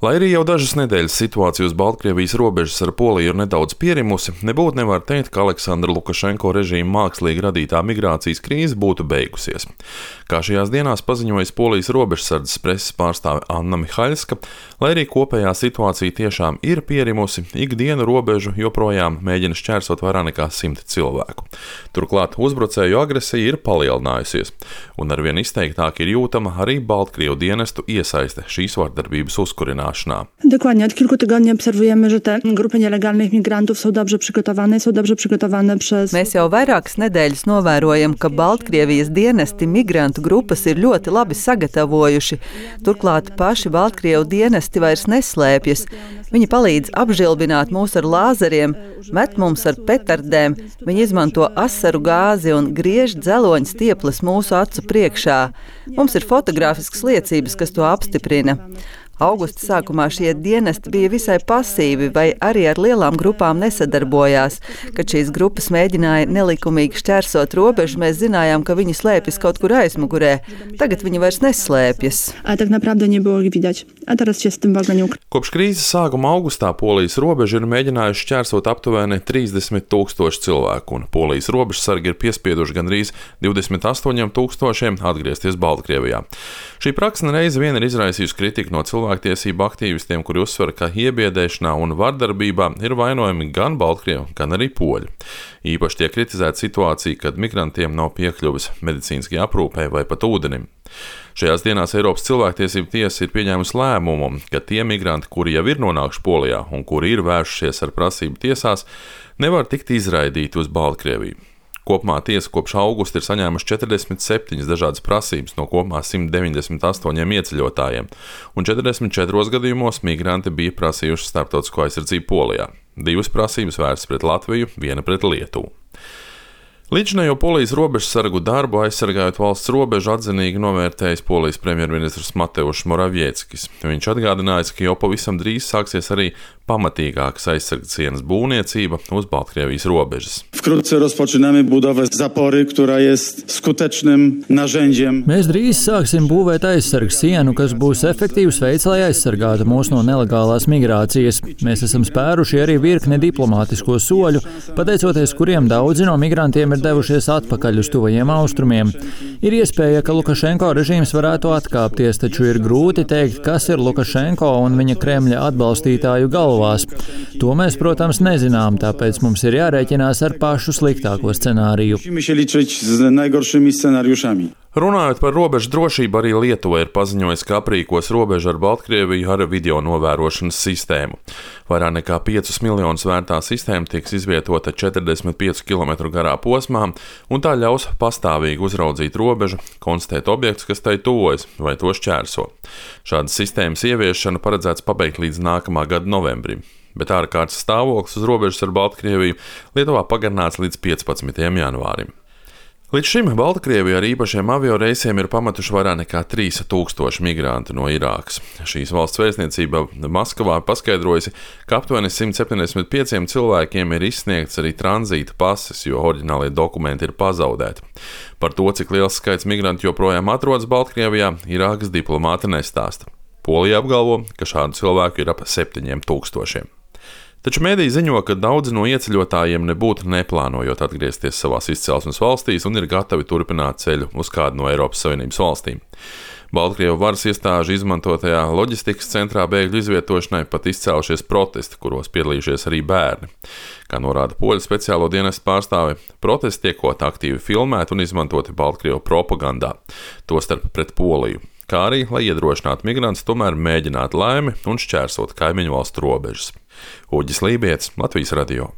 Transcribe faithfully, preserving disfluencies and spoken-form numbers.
Lai arī jau dažas nedēļas situācija uz Baltkrievijas robežas ar Poliju ir nedaudz pierimusi, nebūtu nevar teikt, ka Aleksandra Lukašenko režīma mākslīgi radītā migrācijas krīze būtu beigusies. Kā šajās dienās paziņojas Polijas robežsardzes preses pārstāve Anna Mihaļska, lai arī kopējā situācija tiešām ir pierimusi, ikdienu robežu joprojām mēģina šķērsot vairāk nekā simti cilvēku. Turklāt uzbrucēju agresija ir palielinājusies, un arvien izteiktāk ir jūtama arī Baltkrievu dienestu iesaiste šīs vardarbības uzkurināšanā. Dokładnie, od kilku tygodni obserwujemy, że te grupy nielegalnych migrantów są dobrze przygotowane, są dobrze przygotowane przez... Mēs jau vairākas nedēļas novērojam, ka Baltkrievijas dienesti migrantu grupas ir ļoti labi sagatavojuši. Turklāt paši Baltkrievu dienesti vairs neslēpjas. Viņi palīdz apžilbināt mūs ar lāzeriem, met mums ar petardēm, viņi izmanto asaru gāzi un griež dzeloņu stieples mūsu acu priekšā. Mums ir fotogrāfiskas liecības, kas to apstiprina. Augusta sākumā šie dienesti bija visai pasīvi vai arī ar lielām grupām nesadarbojās. Kad šīs grupas mēģināja nelikumīgi šķērsot robežu, mēs zinājām, ka viņi slēpjas kaut kur aizmugurē. Tagad viņi vairs neslēpjas. Kopš krīzes sākuma augustā Polijas robeža ir mēģinājuši šķērsot aptuveni trīsdesmit tūkstoši cilvēku, un Polijas robežsargi ir piespieduši gandrīz divdesmit astoņiem tūkstošiem atgriezties Baltkrievijā. Šī praksa nereiz vien ir izraisījusi kritiku no cilvēktiesību aktīvistiem, kuri uzsver, ka iebiedēšanā un vardarbībā ir vainojami gan Baltkrievi, gan arī poļi. Īpaši tiek kritizēta situācija, kad migrantiem nav piekļuvis medicīniskajai aprūpei vai pat ūdenim. Šajās dienās Eiropas cilvēktiesību tiesa ir pieņēmusi lēmumu, ka tie migranti, kuri jau ir nonākuši Polijā un kuri ir vēršušies ar prasību tiesās, nevar tikt izraidīti uz Baltkrieviju. Kopumā tiesa kopš augusta ir saņēmuši četrdesmit septiņas dažādas prasības no kopumā simt deviņdesmit astoņiem ieceļotājiem, un četrdesmit četros gadījumos migranti bija prasījuši starptautisko aizsardzību Polijā. Divas prasības vērstas pret Latviju, viena pret Lietuvu. Līdzinējo Polijas robežsargu darbu aizsargājot valsts robežu atzinīgi novērtējis Polijas premjerministrs Mateušs Moravieckis. Viņš atgādinājis, ka jau pavisam drīz sāksies arī pamatīgākas aizsardzienas būvniecība uz Baltkrievijas robežas. Wkrótce rozpoczynamy budowę zapory, która jest skutecznym narzędziem. Mēs drīz sāksim būvēt aizsargu sienu, kas būs efektīvs veids, lai aizsargātu mūs no nelegālās migrācijas. Mēs esam spēruši arī virkni diplomātisko soļu, pateicoties kuriem daudzi no migrantiem ir devušies atpakaļ uz tuvajiem austrumiem. Ir iespēja, ka Lukašenko režīms varētu atkāpties, taču ir grūti teikt, kas ir Lukašenko un viņa Kremļa atbalstītāju galvās. To mēs, protams, nezinām, tāpēc mums ir jārēķinās ar pašu sliktāko scenāriju. Runājot par robežu drošību, arī Lietuva ir paziņojusi, ka aprīkos robežu ar Baltkrieviju ar video novērošanas sistēmu. Vairāk nekā piecus miljonus vērtā sistēma tiks izvietota četrdesmit piecu kilometru garā posmā, un tā ļaus pastāvīgi uzraudzīt robežu, konstatēt objektus, kas tai tuvojas vai to šķērso. Šādas sistēmas ieviešanu paredzēts pabeigt līdz nākamā gada novembrim, bet ārkārtas stāvoklis uz robežas ar Baltkrieviju Lietuvā pagarināts līdz piecpadsmitajam janvārim. Līdz šim Baltkrievija ar īpašiem avioreisiem ir pametuši vairāk nekā trīs tūkstoši migrantu no Irākas. Šīs valsts vēstniecība Maskavā paskaidrojusi, ka aptuveni simt septiņdesmit pieciem cilvēkiem ir izsniegts arī tranzīta pases, jo oriģinālie dokumenti ir pazaudēti. Par to, cik liels skaits migrantu joprojām atrodas Baltkrievijā, Irākas diplomāti nestāsta. Polija apgalvo, ka šādu cilvēku ir ap septiņiem tūkstošiem. Taču mēdī ziņo, ka daudzi no ieceļotājiem nebūtu neplānojot atgriezties savās izcelsmes valstīs un ir gatavi turpināt ceļu uz kādu no Eiropas Savienības valstīm. Baltkrievu varas iestāžu izmantotajā loģistikas centrā bēgļu izvietošanai pat izcēlušies protesti, kuros piedalījušies arī bērni. Kā norāda poļu speciālo dienestu pārstāve, protesti tiekot aktīvi filmēti un izmantoti Baltkrievu propagandā, tostarp pret Poliju, kā arī, lai iedrošinātu migrantus tomēr mēģināt laimi un šķērsot kaimiņu valstu robežas. Uģis Lībietis, Latvijas radio.